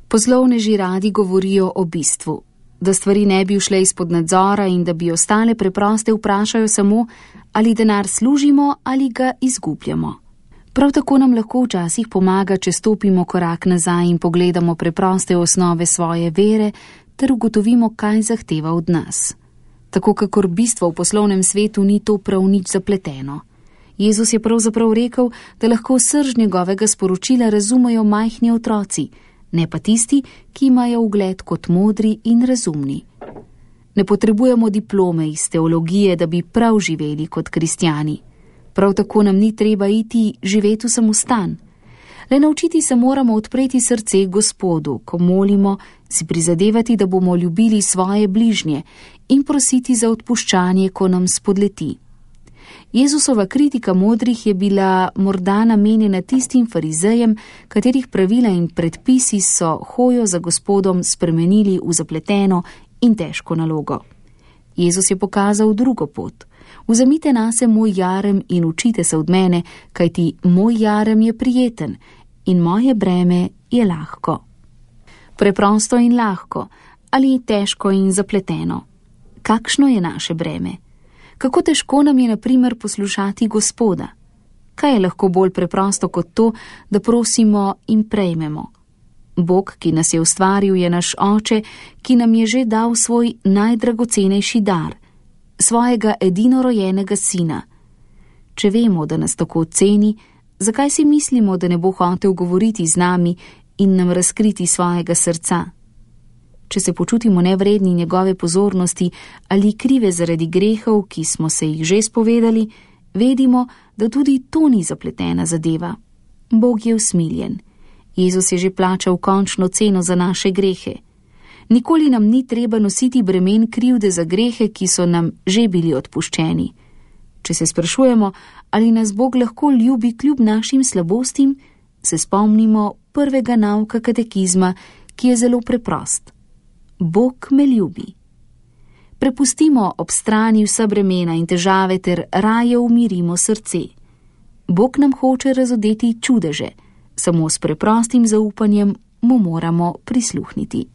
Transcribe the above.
Poslovneži radi govorijo o bistvu, da stvari ne bi ušle izpod nadzora in da bi ostale preproste vprašajo samo, ali denar služimo ali ga izgubljamo. Prav tako nam lahko včasih pomaga, če stopimo korak nazaj in pogledamo preproste osnove svoje vere ter ugotovimo, kaj zahteva od nas. Tako kakor bistvo v poslovnem svetu ni to prav nič zapleteno. Jezus je pravzaprav rekel, da lahko srž njegovega sporočila razumejo majhni otroci, ne pa tisti, ki imajo ugled kot modri in razumni. Ne potrebujemo diplome iz teologije, da bi prav živeli kot kristjani. Prav tako nam ni treba iti živeti v samostan. Le naučiti se moramo odpreti srce Gospodu, ko molimo, si prizadevati, da bomo ljubili svoje bližnje in prositi za odpuščanje, ko nam spodleti. Jezusova kritika modrih je bila morda namenjena tistim farizejem, katerih pravila in predpisi so hojo za Gospodom spremenili v zapleteno in težko nalogo. Jezus je pokazal drugo pot. Vzemite nase moj jarem in učite se od mene, kajti moj jarem je prijeten in moje breme je lahko. Preprosto in lahko, ali težko in zapleteno. Kakšno je naše breme? Kako težko nam je, na primer, poslušati Gospoda? Kaj je lahko bolj preprosto kot to, da prosimo in prejmemo? Bog, ki nas je ustvaril, je naš Oče, ki nam je že dal svoj najdragocenejši dar, svojega edinorojenega sina. Če vemo, da nas tako ceni, zakaj si mislimo, da ne bo hotel govoriti z nami in nam razkriti svojega srca? Če se počutimo nevredni njegove pozornosti ali krive zaradi grehov, ki smo se jih že spovedali, vedimo, da tudi to ni zapletena zadeva. Bog je usmiljen. Jezus je že plačal končno ceno za naše grehe. Nikoli nam ni treba nositi bremen krivde za grehe, ki so nam že bili odpuščeni. Če se sprašujemo, ali nas Bog lahko ljubi kljub našim slabostim, se spomnimo prvega nauka katekizma, ki je zelo preprost. Bog me ljubi. Prepustimo ob strani vsa bremena in težave ter raje umirimo srce. Bog nam hoče razodeti čudeže, samo s preprostim zaupanjem mu moramo prisluhniti.